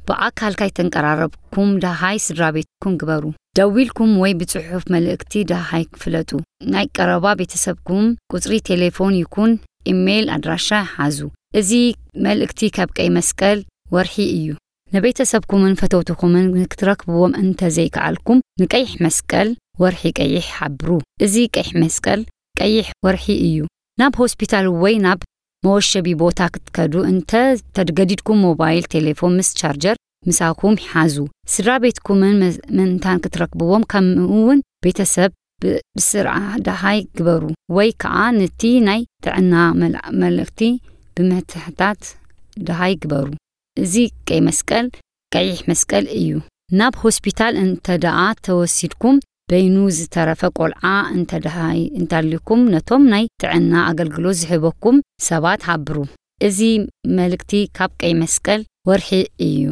ብኣካል ካይተንቀራረብኩም ደሃይ ስድራ ቤትኩም ግበሩ። ደዊልኩም ወይ ብጽሑፍ መልእክቲ ደሃይ ክፍለጡ። ናይ ቀረባ ቤተሰብኩም ቁጽሪ ቴሌፎን ይኩን ኢሜይል ኣድራሻ ሓዙ። እዚ መልእክቲ ካብ ቀይ መስቀል ወርሒ እዩ። ንቤተሰብኩምን ፈተውትኹምን ክትረክብዎም እንተ ዘይከኣልኩም፣ ንቀይሕ መስቀል ወርሒ ቀይሕ ሓብሩ። እዚ ቀይሕ መስቀል ቀይሕ ወርሒ እዩ። ናብ ሆስፒታል ወይ ናብ መወሸቢ ቦታ ክትከዱ እንተ ተገዲድኩም፣ ሞባይል ቴሌፎን ምስ ቻርጀር ምሳኹም ሓዙ። ስድራ ቤትኩምን መ-፣ ምእንታን ክትረክብዎም፣ ከምኡ እውን ቤተሰብ ብ-፣ ብስርዓ ደሃይ ግበሩ፣ ወይ ከኣ ነቲ ናይ ጥዕና መል-፣ መልእክቲ ብምትሕታት ደሃይ ግበሩ። እዚ ቀይ መስቀል፣ ቀይሕ መስቀል እዩ። ናብ ሆስፒታል እንተ ደኣ ተወሲድኩም፣ በይኑ ዝተረፈ ቆልዓ እንተ ደሃይ እንታልኩም፣ ነቶም ናይ ጥዕና ኣገልግሎት ዝህበኩም ሰባት ሓብሩ። እዚ መልእክቲ ካብ ቀይ መስቀል ወርሒ እዩ።